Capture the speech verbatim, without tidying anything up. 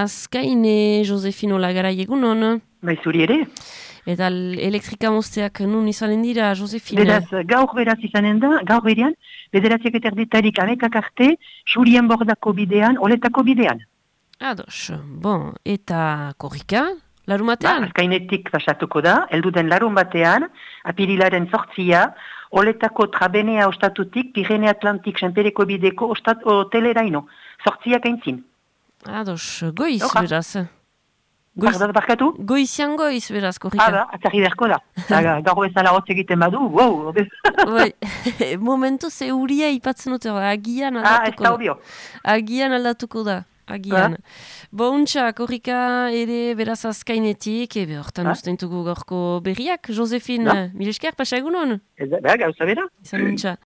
Azkaine, Josefino Lagarai egunon. Bai, zuri ere. Eta elektrika mozteak nun izanen dira, Josefine? Beraz, gaur beraz izanen da, gaur berean, bederatziak eta erditarik amekak arte, Xurien bordako bidean, oletako bidean. Ados, bon, eta korrika, larun Ba, batean? azkainetik pasatuko da, elduden larun batean, apirilaren sortzia, oletako trabenea ostatutik, Pirene Atlantik, Senpereko bideko ostat, hoteleraino, sortziak aintzin. Ados, goiz, Oja. beraz. Goiz, Bardat barkatu? goizian goiz, beraz, korrika. Ah, da, atzarri beharko da. Eta gaur bezala hotz egiten badu, wow! Bai, momentu ze uria ipatzen dute, agian Ah, ez aldatuko da da. obio. Agian aldatuko da, agian. Bo, untxa, korrika ere beraz azkainetik, ebe hortan Ah. ustentugu gaurko berriak, Josefine, Da. mil esker, pasa egunon? Ez da, beha, gauza bera. Izan untxa.